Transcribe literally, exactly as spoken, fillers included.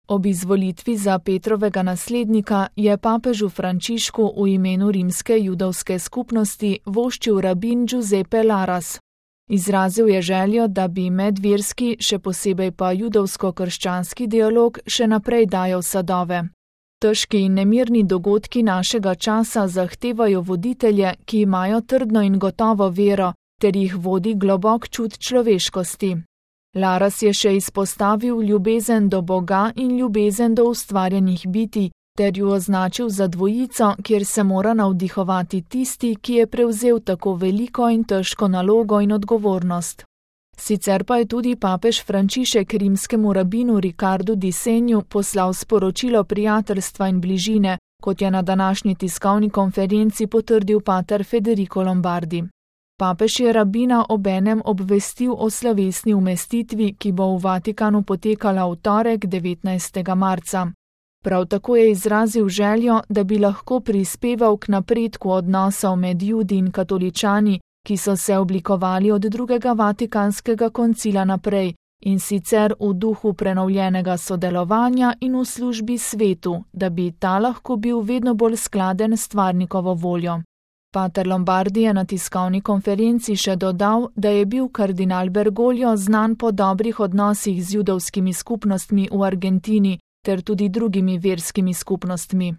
Ob izvolitvi za Petrovega naslednika je papežu Frančišku v imenu rimske judovske skupnosti voščil rabin Giuseppe Laras. Izrazil je željo, da bi medverski, še posebej pa judovsko-krščanski dialog še naprej dajal sadove. Težki in nemirni dogodki našega časa zahtevajo voditelje, ki imajo trdno in gotovo vero, ter jih vodi globok čut človeškosti. Laras je še izpostavil ljubezen do Boga in ljubezen do ustvarjenih bitij, ter ju označil za dvojico, kjer se mora navdihovati tisti, ki je prevzel tako veliko in težko nalogo in odgovornost. Sicer pa je tudi papež Frančišek rimskemu rabinu Ricardu di Senju poslal sporočilo prijateljstva in bližine, kot je na današnji tiskovni konferenci potrdil pater Federico Lombardi. Papež je rabina obenem obvestil o slovesni umestitvi, ki bo v Vatikanu potekala v torek devetnajstega marca. Prav tako je izrazil željo, da bi lahko prispeval k napredku odnosov med Judi in katoličani, ki so se oblikovali od drugega Vatikanskega koncila naprej, in sicer v duhu prenovljenega sodelovanja in v službi svetu, da bi ta lahko bil vedno bolj skladen s stvarnikovo voljo. Pater Lombardi je na tiskovni konferenci še dodal, da je bil kardinal Bergoglio znan po dobrih odnosih z judovskimi skupnostmi v Argentini ter tudi drugimi verskimi skupnostmi.